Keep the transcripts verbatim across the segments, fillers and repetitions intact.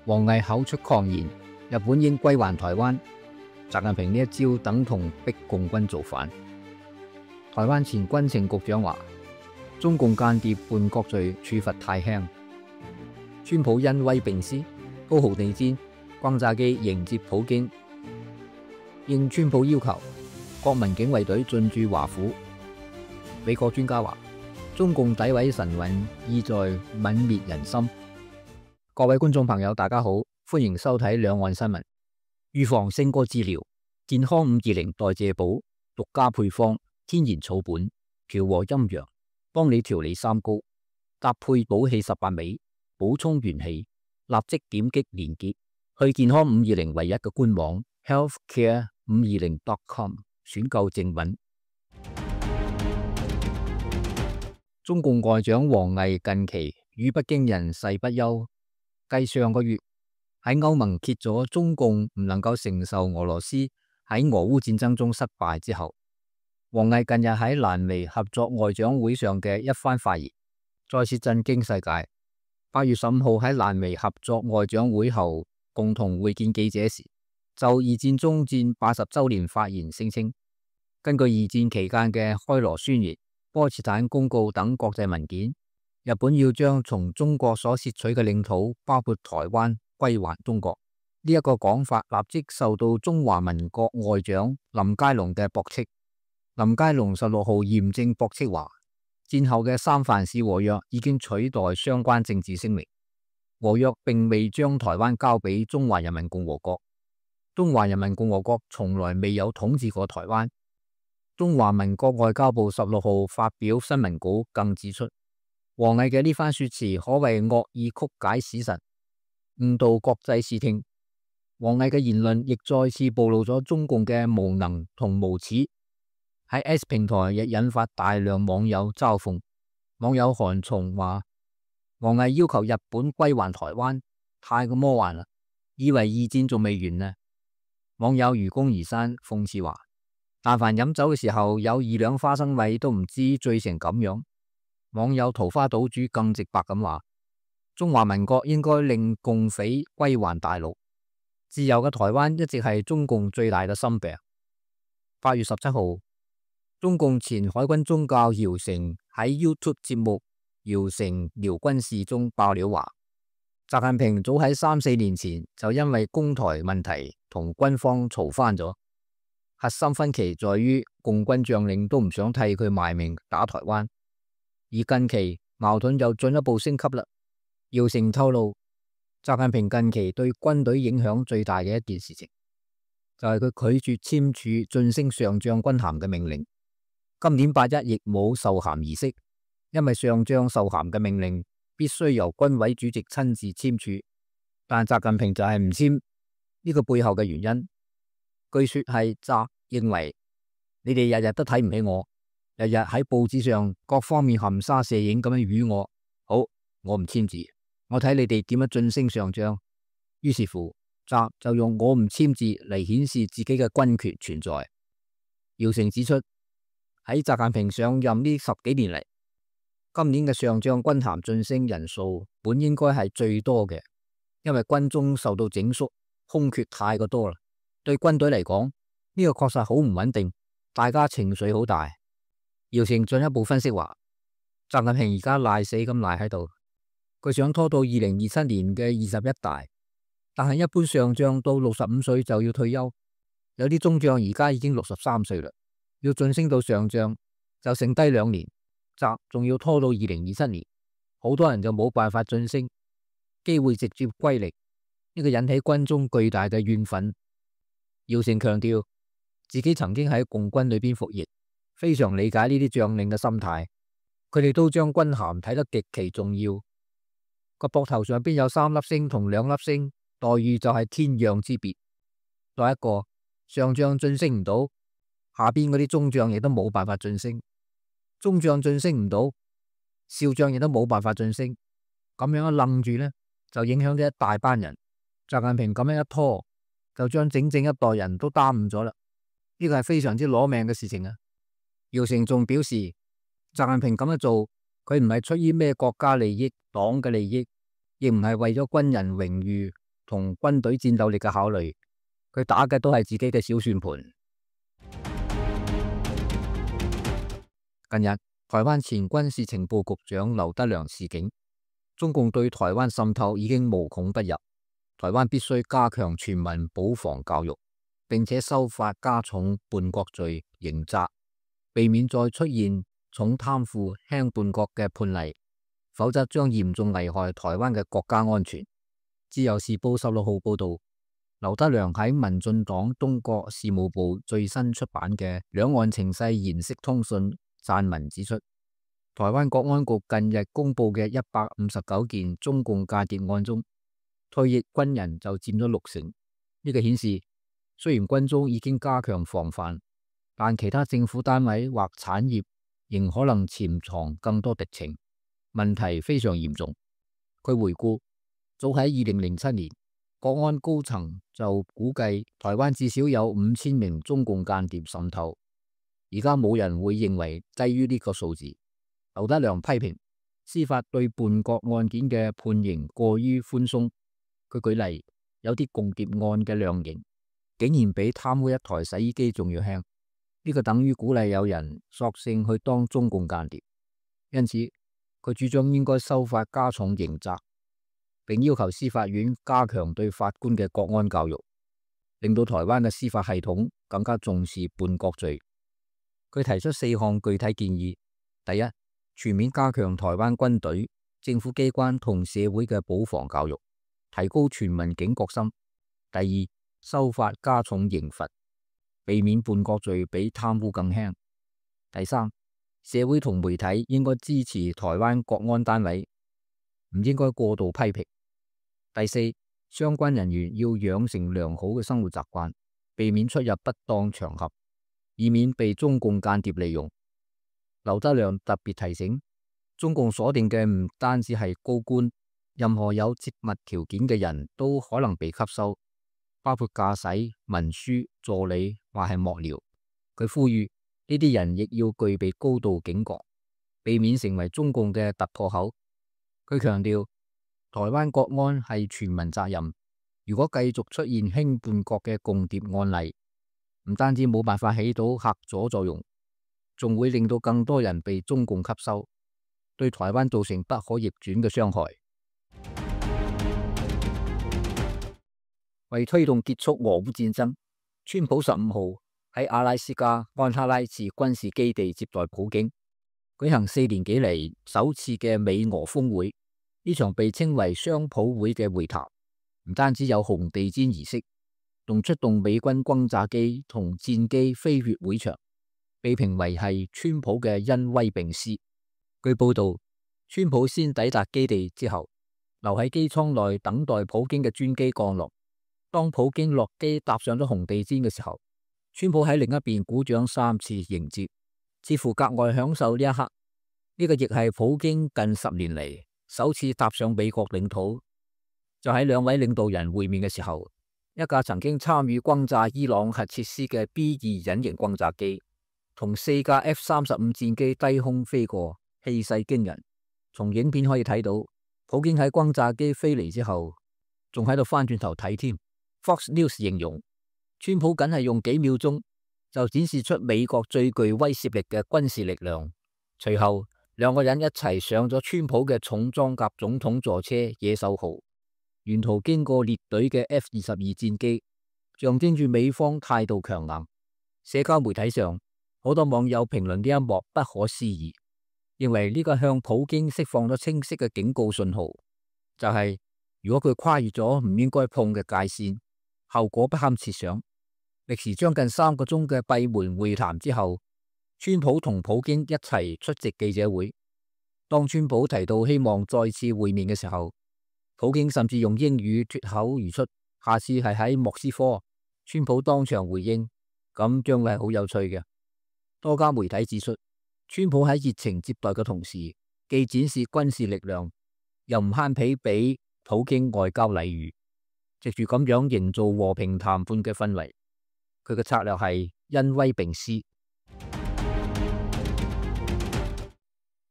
王毅口出狂言，日本應歸還台灣。習近平呢一招等同逼共軍造反。台灣前軍情局長話：中共間諜叛國罪處罰太輕。川普恩威並施，高豪地氈，轟炸機迎接普京。應川普要求，國民警衛隊進駐華府。美國專家話：中共詆毀神韻，意在泯滅人心。各位觀眾朋友，大家好，歡迎收睇兩岸新聞。預防勝過治療，健康五二零代謝寶獨家配方，天然草本，調和陰陽，幫你調理三高，搭配補氣十八味，補充元氣。立即點擊連結去健康五二零唯一嘅官網 healthcare 五二零 dot com 選購正品。中共外長王毅近期與北京人誓不休，繼上個月喺歐盟揭咗中共唔能夠承受俄羅斯喺俄烏戰爭中失敗之後，王毅近日喺瀾湄合作外長會上嘅一番發言，再次震驚世界。八月十五號喺瀾湄合作外長會後共同會見記者時，就二戰終戰八十周年發言聲稱，根據二戰期間嘅開羅宣言、波茨坦公告等國際文件，日本要將從中國所竊取嘅領土，包括台灣，歸還中國。呢、這、一個講法立即受到中華民國外長林佳龍嘅駁斥。林佳龍十六號嚴正駁斥話，戰後嘅三藩市和約已經取代相關政治聲明，和約並未將台灣交俾中華人民共和國，中華人民共和國從來未有統治過台灣。中華民國外交部十六號發表新聞稿，更指出，王毅嘅呢番說辭可謂惡意曲解史實，誤導國際視聽。王毅嘅言論亦再次暴露咗中共嘅無能同無恥。喺 X 平台亦引發大量網友嘲諷。網友韓松話：王毅要求日本歸還台灣，太過魔幻啦，以為二戰仲未完呢。網友愚公移山諷刺話：但凡飲酒嘅時候有二兩花生米都唔知醉成咁樣。網友桃花島主更直白咁話：中華民國應該令共匪歸還大陸。自由嘅台灣一直係中共最大嘅心病。八月十七號，中共前海軍中校姚成喺 YouTube 節目《姚成聊軍事》中爆料話，習近平早喺三四年前就因為攻台問題同軍方嘈翻咗。核心分歧在於共軍將領都唔想替佢賣命打台灣，而近期矛盾又進一步升級啦。姚成透露，習近平近期對軍隊影響最大嘅一件事情，就係佢拒絕簽署晉升上將軍銜嘅命令。今年八一亦冇授銜儀式，因為上將授銜嘅命令必須由軍委主席親自簽署，但習近平就係唔簽。呢個背後嘅原因，據說係習認為你哋日日都睇唔起我，日日喺報紙上各方面含沙射影咁樣語我，好，我唔簽字，我睇你哋點樣晉升上將。於是乎，習就用我唔簽字嚟顯示自己嘅軍權存在。姚成指出，喺習近平上任呢十幾年嚟，今年嘅上將軍銜晉升人數本應該係最多嘅，因為軍中受到整肅，空缺太過多啦。對軍隊嚟講，呢個確實好唔穩定，大家情緒好大。姚成進一步分析話，習近平而家賴死咁賴喺度，佢想拖到二零二七年嘅二十一大，但係一般上將到六十五歲就要退休，有啲中將而家已經六十三歲啦。要晉升到上將就剩低兩年，習仲要拖到二零二七年，好多人就冇辦法晉升，機會直接歸零，呢個引起軍中巨大嘅怨憤。姚成強調自己曾經喺共軍裏邊服役，非常理解呢啲將領嘅心態，佢哋都將軍銜睇得極其重要，個膊頭上邊有三粒星同兩粒星，待遇就係天壤之別。再一個，上將晉升唔到，下邊嗰啲中將亦都冇辦法晉升，中將晉升唔到，少將亦都冇辦法晉升，咁樣一愣住呢，就影響咗一大班人。習近平咁樣一拖，就將整整一代人都耽誤咗啦。呢個係非常之攞命嘅事情啊！姚成仲表示，習近平咁樣做，佢唔係出於咩國家利益、黨嘅利益，亦唔係為咗軍人榮譽同軍隊戰鬥力嘅考慮，佢打嘅都係自己嘅小算盤。近日，台灣前軍事情報局長劉德良示警，中共對台灣滲透已經無孔不入，台灣必須加強全民保防教育，並且修法加重叛國罪刑責，避免再出現重貪腐輕叛國嘅判例，否則將嚴重危害台灣嘅國家安全。自由時報十六號報道，劉德良喺民進黨東國事務部最新出版嘅《兩岸情勢研析通訊》撰文指出，台灣國安局近日公布嘅一百五十九件中共間諜案中，退役軍人就佔咗六成。呢、這個顯示，雖然軍中已經加強防範，但其他政府單位或產業仍可能潛藏更多敵情，問題非常嚴重。佢回顧，早喺二零零七年，國安高層就估計台灣至少有五千名中共間諜滲透，而家冇人會認為低於呢個數字。劉德良批評司法對叛國案件嘅判刑過於寬鬆。佢舉例，有啲共諜案嘅量刑竟然比貪污一台洗衣機仲要輕，呢個等於鼓勵有人索性去當中共間諜。因此，佢主張應該修法加重刑責，並要求司法院加強對法官嘅國安教育，令到台灣嘅司法系統更加重視叛國罪。佢提出四項具體建議：第一，全面加強台灣軍隊、政府機關同社會嘅保防教育，提高全民警覺心；第二，修法加重刑罰，避免叛國罪比貪污更輕；第三，社會同媒體應該支持台灣國安單位，唔應該過度批評；第四，相關人員要養成良好嘅生活習慣，避免出入不當場合，以免被中共間諜利用。劉德良特別提醒，中共鎖定嘅唔單止係高官，任何有接物條件嘅人都可能被吸收，包括駕駛、文書、助理或係幕僚。佢呼籲呢啲人亦要具備高度警覺，避免成為中共嘅突破口。佢強調，台灣國安係全民責任，如果繼續出現輕叛國嘅共諜案例，唔單止冇辦法起到嚇阻作用，仲會令到更多人被中共吸收，對台灣造成不可逆轉嘅傷害。為推動結束俄烏戰爭，川普十五號喺阿拉斯加安哈拉治軍事基地接待普京，舉行四年幾嚟首次嘅美俄峰會。呢場被稱為雙普會嘅會談，唔單止有紅地毯儀式，仲出動美軍轟炸機同戰機飛越會場，被評為係川普嘅恩威並施。據報道，川普先抵達基地之後，留喺機艙內等待普京嘅專機降落。當普京落機踏上咗紅地毯嘅時候，川普喺另一邊鼓掌三次迎接，似乎格外享受呢一刻。呢個亦係普京近十年嚟首次踏上美國領土。就喺兩位領導人會面嘅時候，一架曾經參與轟炸伊朗核設施嘅 B 二隱形轟炸機同四架 F 三十五戰機低空飛過，氣勢驚人。從影片可以睇到，普京喺轟炸機飛嚟之後，仲喺度翻轉頭睇添。Fox News 形容，川普僅係用幾秒鐘就展示出美國最具威懾力嘅軍事力量。隨後，兩個人一齊上咗川普嘅重裝甲總統座車野獸號，沿途經過列隊嘅 F 二十二戰機，象徵住美方態度強硬。社交媒體上，好多網友評論呢一幕不可思議，認為呢個向普京釋放咗清晰嘅警告信號，就係、是、如果佢跨越咗唔應該碰嘅界線，後果不堪設想。歷時將近三個鐘嘅閉門會談之後，川普同普京一齊出席記者會。當川普提到希望再次會面嘅時候，普京甚至用英語脫口而出，下次係喺莫斯科。川普當場回應，咁將會係好有趣嘅。多家媒體指出，川普喺熱情接待嘅同時，既展示軍事力量，又唔慳皮俾普京外交禮遇，藉住咁樣營造和平談判嘅氛圍。佢嘅策略係恩威並施。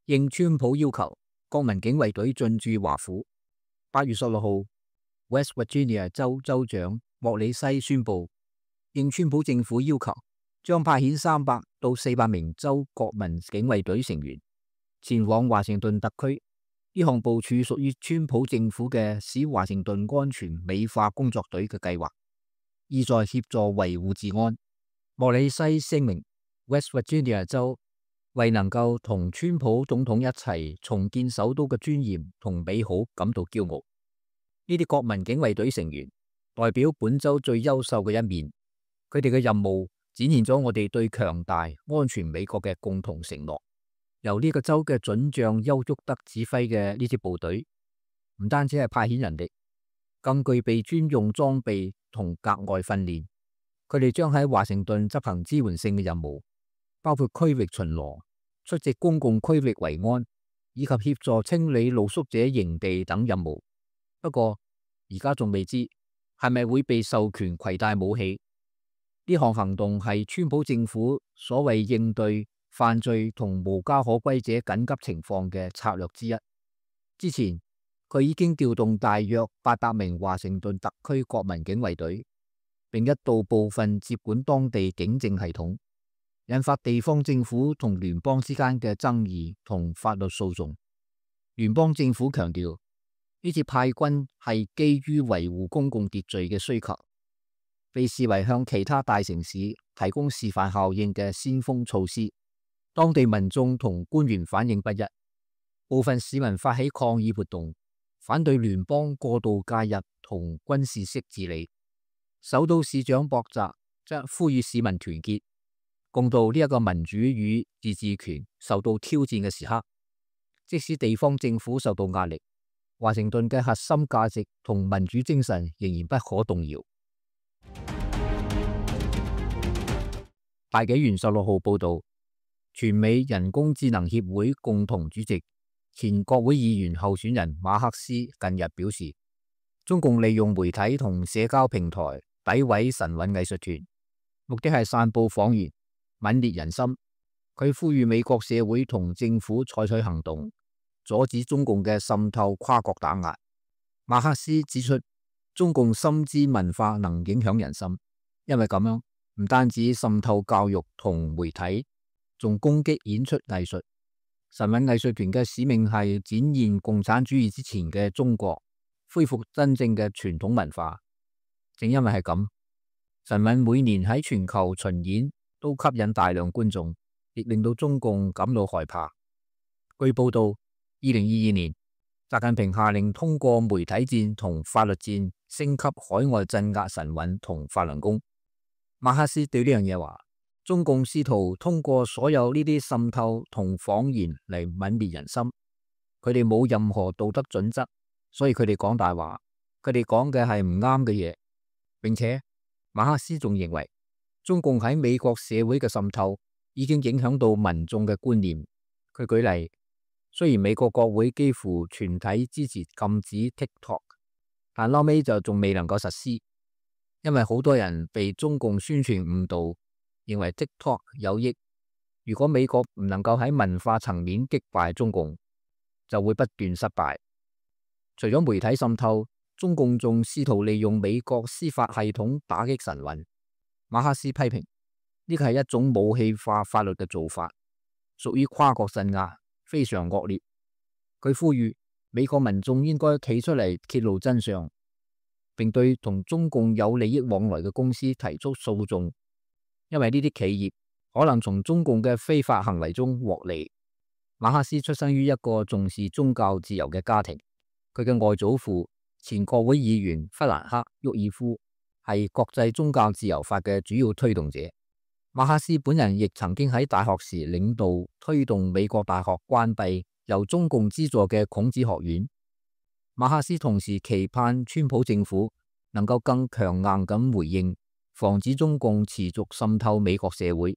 應川普要求，國民警衛隊進駐華府。八月十六號， West Virginia 州州長莫里西宣布，應川普政府要求，將派遣三百到四百名州國民警衛隊成員前往華盛頓特區。呢項部署屬於川普政府嘅使華盛頓安全美化工作隊嘅計劃，意在協助維護治安。莫里西聲明 ，West Virginia 州為能夠同川普總統一齊重建首都嘅尊嚴同美好感到驕傲。呢啲國民警衛隊成員代表本州最優秀嘅一面，佢哋嘅任務展現咗我哋對強大安全美國嘅共同承諾。由呢個州嘅准將丘沃德指揮嘅呢支部隊，唔單止係派遣人力，更具備專用裝備同格外訓練。佢哋將喺華盛頓執行支援性嘅任務，包括區域巡邏、出席公共區域維安，以及協助清理露宿者營地等任務。不過而家仲未知係咪會被授權攜帶武器。呢項行動係川普政府所謂應對犯罪同無家可歸者緊急情況嘅策略之一。之前佢已經調動大約八百名華盛頓特區國民警衛隊，並一度部分接管當地警政系統，引發地方政府同聯邦之間嘅爭議同法律訴訟。聯邦政府強調，呢次派軍係基於維護公共秩序嘅需求，被視為向其他大城市提供示範效應嘅先鋒措施。當地民眾同官員反應不一，部分市民發起抗議活動，反對聯邦過度介入同軍事式治理。首都市長博澤則呼籲市民團結，共度呢一個民主與自治權受到挑戰嘅時刻。即使地方政府受到壓力，華盛頓嘅核心價值同民主精神仍然不可動搖。大紀元十六號報道，全美人工智能協會共同主席、前國會議員候選人馬克思近日表示，中共利用媒體同社交平台詆毀神韻藝術團，目的係散布謊言，泯滅人心。佢呼籲美國社會同政府採取行動，阻止中共嘅滲透跨國打壓。馬克思指出，中共深知文化能影響人心，因為咁樣唔單止滲透教育同媒體，仲攻擊演出藝術。神韻藝術團嘅使命係展現共產主義之前嘅中國，恢復真正嘅傳統文化。正因為係咁，神韻每年喺全球巡演都吸引大量觀眾，亦令到中共感到害怕。據報道，二零二二年，習近平下令通過媒體戰同法律戰升級海外鎮壓神韻同法輪功。馬克思對呢樣嘢話，中共試圖通過所有呢啲滲透同謊言嚟泯滅人心。佢哋冇任何道德準則，所以佢哋講大話，佢哋講嘅係唔啱嘅嘢。並且馬克思仲認為，中共喺美國社會嘅滲透已經影響到民眾嘅觀念。佢舉例，雖然美國國會幾乎全體支持禁止 TikTok， 但後尾就仲未能夠實施，因為好多人被中共宣傳誤導，認為 TikTok 有益。如果美國唔能夠喺文化層面擊敗中共，就會不斷失敗。除咗媒體滲透，中共仲試圖利用美國司法系統打擊神韻。馬克思批評呢個係一種武器化法律嘅做法，屬於跨國鎮壓，非常惡劣。佢呼籲美國民眾應該企出嚟揭露真相，並對同中共有利益往來嘅公司提出訴訟，因為呢啲企業可能從中共嘅非法行為中獲利。馬克思出生於一個重視宗教自由嘅家庭，佢嘅外祖父前國會議員弗蘭克·沃爾夫係國際宗教自由法嘅主要推動者。馬克思本人亦曾經喺大學時領導推動美國大學關閉由中共資助嘅孔子學院。馬克思同時期盼川普政府能夠更強硬咁回應，防止中共持續滲透美國社會。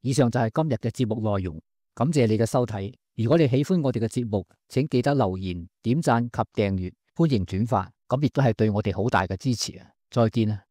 以上就係今日嘅節目內容，感謝你嘅收睇。如果你喜歡我哋嘅節目，請記得留言、點讚及訂閱，歡迎轉發，咁亦都係對我哋好大嘅支持啊！再見啊！